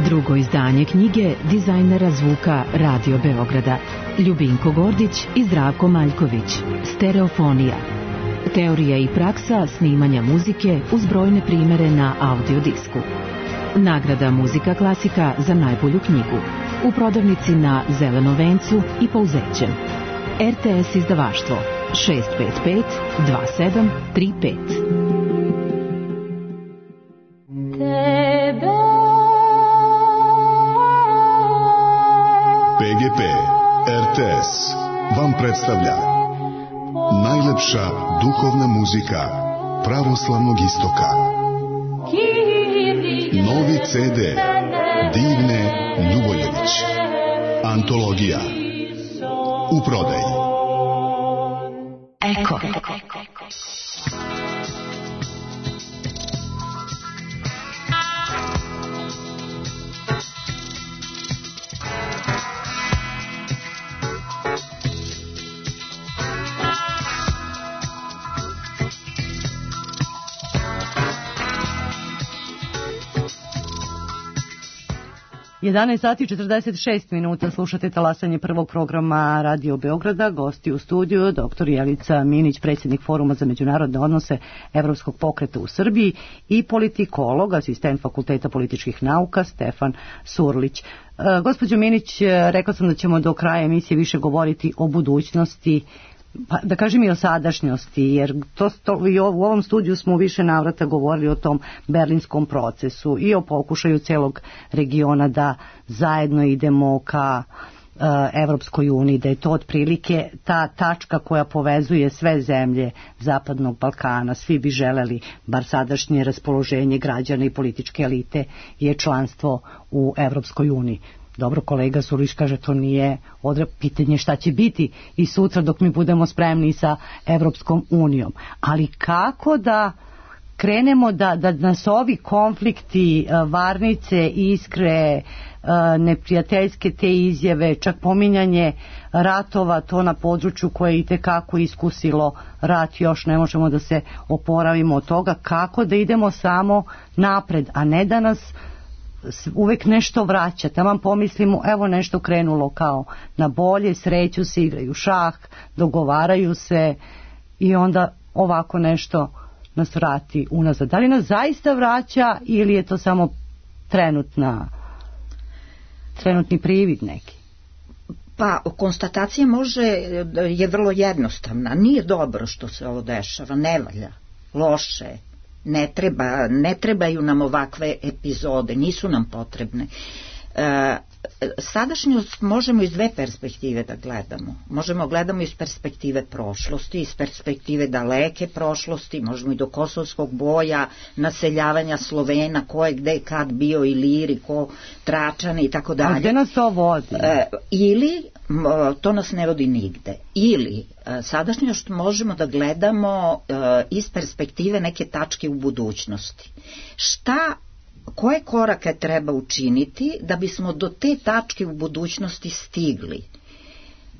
Drugo izdanje knjige dizajnera zvuka Radio Beograda Ljubinko Gordić i Zdravko Maljković. Stereofonija. Teorija i praksa snimanja muzike uz brojne primere na audiodisku. Nagrada Muzika klasika za najbolju knjigu. U prodavnici na Zelenom vencu i Pouzećem. R T S izdavaštvo šest pet pet dva sedam tri pet. P G P R T S vam predstavlja najlepša duhovna muzika pravoslavnog istoka. Novi C D Divne Ljuboljević. Antologija. U prodaji. Eko. jedanaest sati i četrdeset šest minuta, slušate talasanje prvog programa Radio Beograda. Gosti u studiju doktor Jelica Minić, predsjednik Foruma za međunarodne odnose Evropskog pokreta u Srbiji, i politikolog, asistent Fakulteta političkih nauka Stefan Surlić. E, gospođo Minić, rekla sam da ćemo do kraja emisije više govoriti o budućnosti, pa da kažem i o sadašnjosti, jer to, to, i u ovom studiju smo više navrata govorili o tom berlinskom procesu i o pokušaju celog regiona da zajedno idemo ka uh, Evropskoj uniji, da je to otprilike ta tačka koja povezuje sve zemlje Zapadnog Balkana. Svi bi želeli, bar sadašnje raspoloženje građana i političke elite je članstvo u Evropskoj uniji. Dobro, kolega Surlić kaže to nije odre pitanje šta će biti i sutra dok mi budemo spremni sa Evropskom unijom. Ali kako da krenemo da, da nas ovi konflikti, varnice, iskre, neprijateljske te izjave, čak pominjanje ratova, to na području koje je itekako iskusilo rat, još ne možemo da se oporavimo od toga, kako da idemo samo napred, a ne da nas uvek nešto vraća. Tamo pomislimo, evo nešto krenulo kao na bolje, sreću se, igraju šah, dogovaraju se i onda ovako nešto nas vrati unazad. Da li nas zaista vraća ili je to samo trenutna, trenutni privid neki? Pa, konstatacija može, je vrlo jednostavna. Nije dobro što se ovo dešava, ne valja, loše je. Ne treba, ne trebaju nam ovakve epizode, nisu nam potrebne. E, sadašnjost možemo iz dve perspektive da gledamo. Možemo gledamo iz perspektive prošlosti, iz perspektive daleke prošlosti, možemo i do kosovskog boja, naseljavanja Slovena, ko je gde kad bio, Iliri, ko Tračani i tako dalje. A gde nas to vodi? E, ili, to nas ne vodi nigde, ili sadašnjost možemo da gledamo e, iz perspektive neke tačke u budućnosti. Šta, koje korake treba učiniti da bismo do te tačke u budućnosti stigli?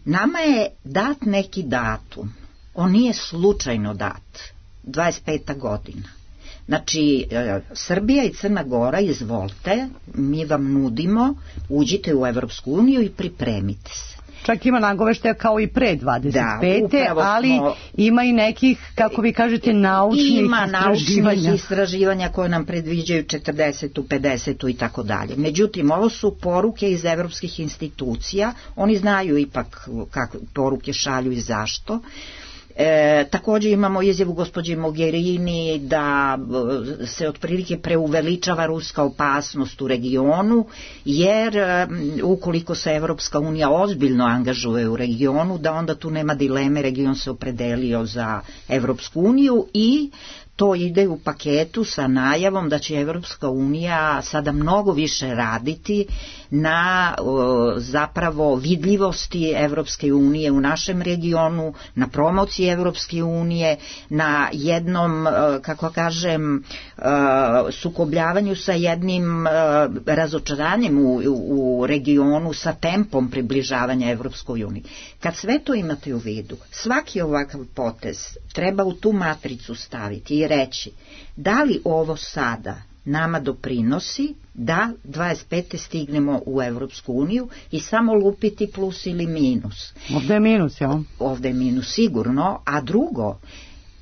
Nama je dat neki datum, on nije slučajno dat, dvadeset peta godina. Znači, e, Srbija i Crna Gora, izvolite, mi vam nudimo, uđite u Evropsku uniju i pripremite se. Čak ima nagoveštaja kao i pre dvadeset pete. Da, ali smo, ima i nekih, kako vi kažete, naučnih ima istraživanja. Ima naučnih istraživanja koje nam predviđaju četrdesetu, pedesetu i tako dalje. Međutim, ovo su poruke iz evropskih institucija, oni znaju ipak kako poruke šalju i zašto. E, također imamo izjavu gospođe Mogherini da se otprilike preuveličava ruska opasnost u regionu, jer ukoliko se Evropska unija ozbiljno angažuje u regionu, da onda tu nema dileme, region se opredelio za Evropsku uniju i to ide u paketu sa najavom da će Evropska unija sada mnogo više raditi na o, zapravo vidljivosti Evropske unije u našem regionu, na promociji Evropske unije, na jednom, kako kažem, sukobljavanju sa jednim razočaranjem u, u regionu, sa tempom približavanja Evropskoj uniji. Kad sve to imate u vidu, svaki ovakav potez treba u tu matricu staviti i reći da li ovo sada nama doprinosi da dvadeset pete stignemo u Evropsku uniju i samo lupiti plus ili minus. Ovde je minus, jel? Ovde je minus sigurno, a drugo,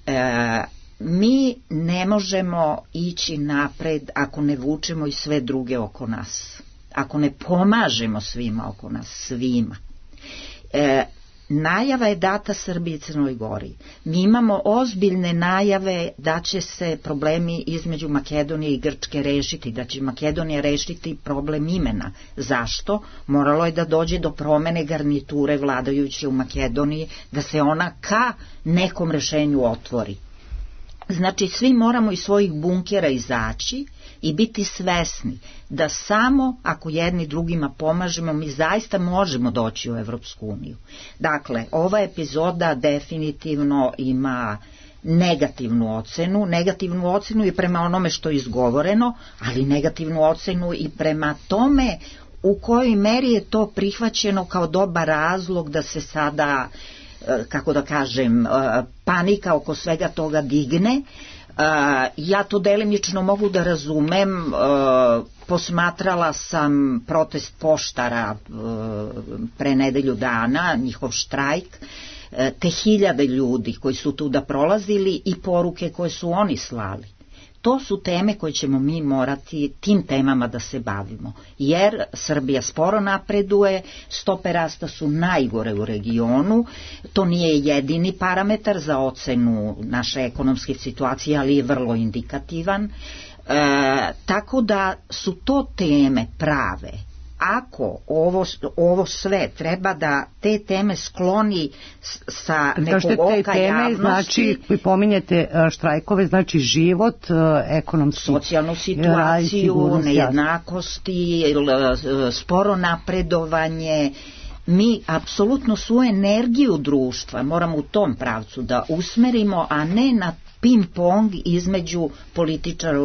e, mi ne možemo ići napred ako ne vučemo i sve druge oko nas, ako ne pomažemo svima oko nas, svima. E, Najava je data Srbiji i Crnoj Gori. Mi imamo ozbiljne najave da će se problemi između Makedonije i Grčke rešiti, da će Makedonija rešiti problem imena. Zašto? Moralo je da dođe do promene garniture vladajuće u Makedoniji, da se ona ka nekom rešenju otvori. Znači, svi moramo iz svojih bunkera izaći i biti svesni da samo ako jedni drugima pomažemo, mi zaista možemo doći u Evropsku uniju. Dakle, ova epizoda definitivno ima negativnu ocenu, negativnu ocenu i prema onome što je izgovoreno, ali negativnu ocenu i prema tome u kojoj meri je to prihvaćeno kao dobar razlog da se sada, kako da kažem, panika oko svega toga digne. Ja to delimično mogu da razumem, posmatrala sam protest poštara pre nedelju dana, njihov štrajk, te hiljade ljudi koji su tu da prolazili i poruke koje su oni slali. To su teme koje ćemo mi morati tim temama da se bavimo, jer Srbija sporo napreduje, stope rasta su najgore u regionu, to nije jedini parametar za ocenu naše ekonomske situacije, ali je vrlo indikativan, e, tako da su to teme prave. Ako ovo, ovo sve treba da te teme skloni sa nekog oka teme, javnosti, znači, vi pominjete štrajkove, znači život, ekonomski, socijalnu situaciju, nejednakosti, sporo napredovanje, mi apsolutno svu energiju društva moramo u tom pravcu da usmerimo, a ne na ping-pong između političara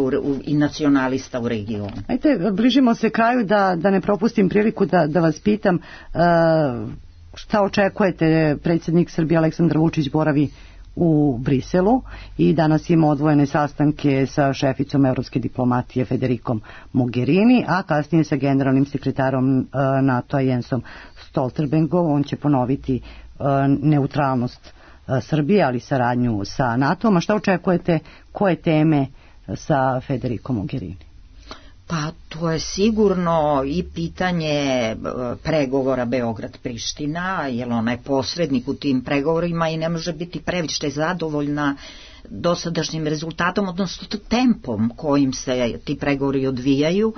i nacionalista u regionu. Ajde, bližimo se kraju, da, da ne propustim priliku da, da vas pitam uh, šta očekujete. Predsjednik Srbije Aleksandar Vučić boravi u Briselu i danas ima odvojene sastanke sa šeficom evropske diplomatije Federikom Mogherini, a kasnije sa generalnim sekretarom uh, NATO-a Jensom Stoltenbergom. On će ponoviti uh, neutralnost Srbije, ali saradnju sa NATO-om. A šta očekujete, koje teme sa Federikom Mogherini? Pa to je sigurno i pitanje pregovora Beograd-Priština, jer ona je posrednik u tim pregovorima i ne može biti previše zadovoljna dosadašnjim rezultatom, odnosno tempom kojim se ti pregovori odvijaju.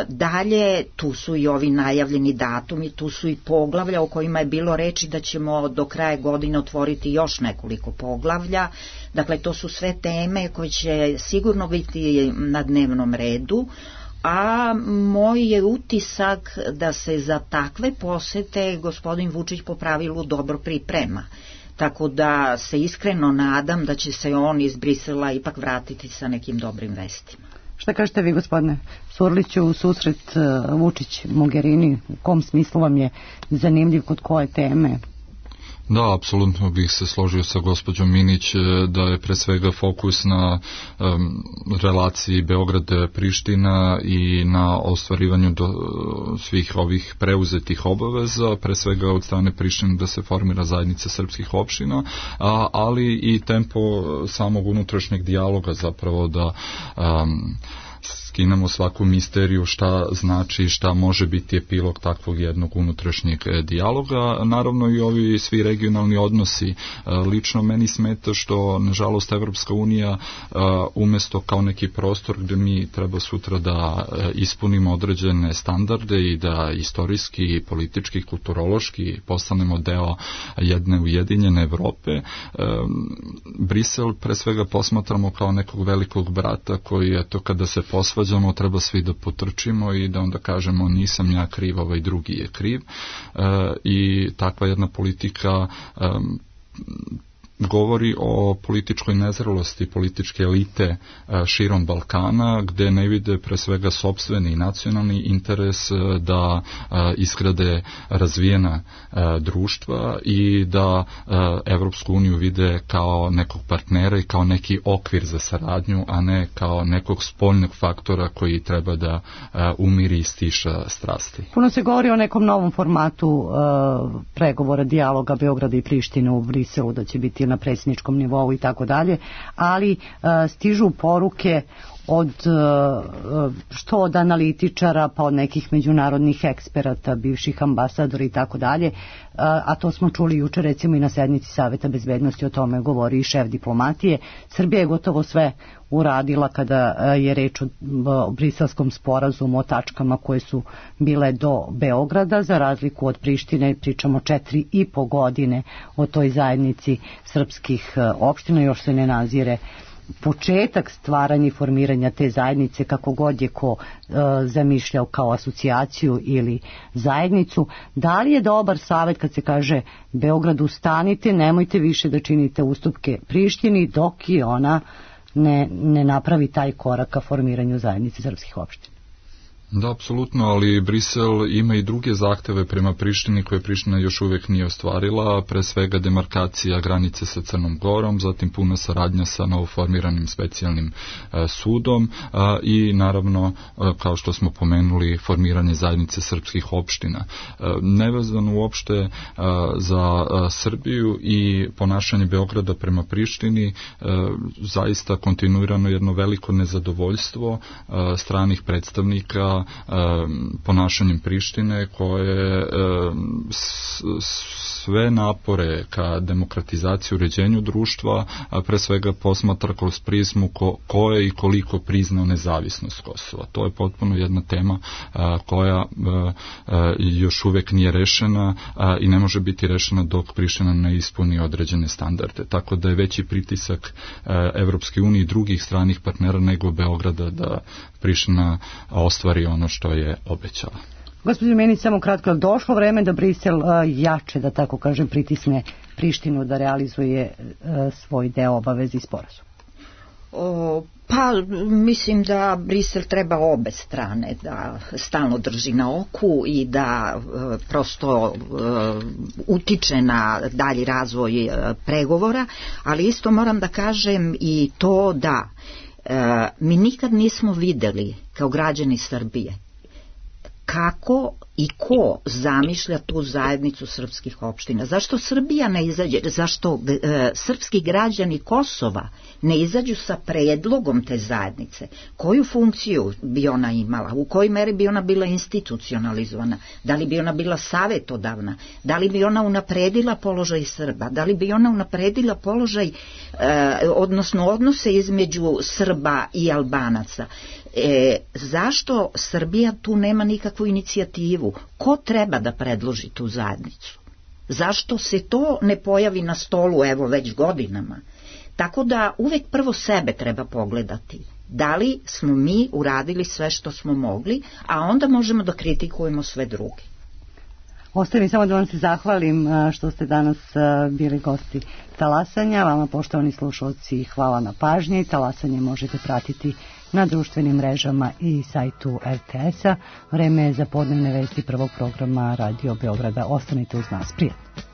Dalje, tu su i ovi najavljeni datumi, tu su i poglavlja o kojima je bilo reči da ćemo do kraja godine otvoriti još nekoliko poglavlja. Dakle, to su sve teme koje će sigurno biti na dnevnom redu, a moj je utisak da se za takve posete gospodin Vučić po pravilu dobro priprema. Tako da se iskreno nadam da će se on iz Brisela ipak vratiti sa nekim dobrim vestima. Šta kažete vi, gospodine Surliću, u susret Vučić-Mogherini, u kom smislu vam je zanimljiv, kod koje teme? Da, apsolutno bih se složio sa gospođom Minić da je pre svega fokus na um, relaciji Beograd-Priština i na ostvarivanju do, svih ovih preuzetih obaveza, pre svega od strane Prištine da se formira zajednica srpskih opština, a, ali i tempo samog unutrašnjeg dijaloga zapravo da um, skinemo svaku misteriju šta znači, šta može biti epilog takvog jednog unutrašnjeg dijaloga. Naravno i ovi svi regionalni odnosi. Lično meni smeta što, nažalost, Evropska unija umesto kao neki prostor gde mi treba sutra da ispunimo određene standarde i da istorijski, politički, kulturološki postanemo deo jedne ujedinjene Evrope, Brisel pre svega posmatramo kao nekog velikog brata koji, eto, kada se posvađamo, treba svi da potrčimo i da onda kažemo nisam ja kriv, ovaj drugi je kriv. E, i takva jedna politika e, govori o političkoj nezrelosti političke elite širom Balkana, gde ne vide pre svega sopstveni nacionalni interes da isgrade razvijena društva i da Evropsku uniju vide kao nekog partnera i kao neki okvir za saradnju, a ne kao nekog spoljnog faktora koji treba da umiri i stiša strasti. Puno se govori o nekom novom formatu uh, pregovora, dijaloga Beograda i Prištine u Briselu, da će biti na predsjedničkom nivou i tako dalje, ali uh, stižu poruke od uh, što od analitičara pa od nekih međunarodnih eksperata, bivših ambasadora i tako dalje, a to smo čuli juče recimo i na sednici Saveta bezbednosti, o tome govori i šef diplomatije. Srbija je gotovo sve uradila kada je reč o briselskom sporazumu, o tačkama koje su bile do Beograda, za razliku od Prištine, pričamo četiri i po godine o toj zajednici srpskih opština, još se ne nazire početak stvaranja i formiranja te zajednice, kako god je ko e, zamišljao kao asocijaciju ili zajednicu. Da li je dobar savjet kad se kaže Beogradu stanite, nemojte više da činite ustupke Prištini dok i ona ne, ne napravi taj korak ka formiranju zajednice srpskih opština? Da, apsolutno, ali Brisel ima i druge zahteve prema Prištini koje Priština još uvek nije ostvarila, pre svega demarkacija granice sa Crnom Gorom, zatim puna saradnja sa novoformiranim specijalnim e, sudom e, i naravno, e, kao što smo pomenuli, formiranje zajednice srpskih opština. E, nevezano uopšte e, za e, Srbiju i ponašanje Beograda prema Prištini, e, zaista kontinuirano jedno veliko nezadovoljstvo e, stranih predstavnika ponašanjem Prištine koje sve napore ka demokratizaciji, uređenju društva pre svega posmatra kroz prizmu ko, ko je i koliko priznao nezavisnost Kosova. To je potpuno jedna tema koja još uvek nije rešena i ne može biti rešena dok Priština ne ispuni određene standarde. Tako da je veći pritisak Evropske unije i drugih stranih partnera nego Beograda da Priština ostvari ono što je obećala. Gospođo Menić, samo kratko, je došlo vreme da Brisel uh, jače, da tako kažem, pritisne Prištinu da realizuje uh, svoj deo obavezi i sporazum? O, pa mislim da Brisel treba obe strane da stalno drži na oku i da e, prosto e, utiče na dalji razvoj e, pregovora, ali isto moram da kažem i to da e, mi nikad nismo videli kao građani Srbije kako i ko zamišlja tu zajednicu srpskih opština. Zašto Srbija ne izađe, zašto e, srpski građani Kosova ne izađu sa predlogom te zajednice? Koju funkciju bi ona imala? U kojoj meri bi ona bila institucionalizovana? Da li bi ona bila savetodavna? Da li bi ona unapredila položaj Srba? Da li bi ona unapredila položaj, e, odnosno odnose između Srba i Albanaca? E, zašto Srbija tu nema nikakvu inicijativu? Ko treba da predloži tu zajednicu? Zašto se to ne pojavi na stolu evo već godinama? Tako da uvek prvo sebe treba pogledati. Da li smo mi uradili sve što smo mogli, a onda možemo da kritikujemo sve druge. Ostaje mi samo da vam se zahvalim što ste danas bili gosti Talasanja. Vama, poštovani slušalci, hvala na pažnji. Talasanje možete pratiti na društvenim mrežama i sajtu er te es a. Vreme je za podnevne vesti prvog programa Radio Beograda. Ostanite uz nas. Prijatno.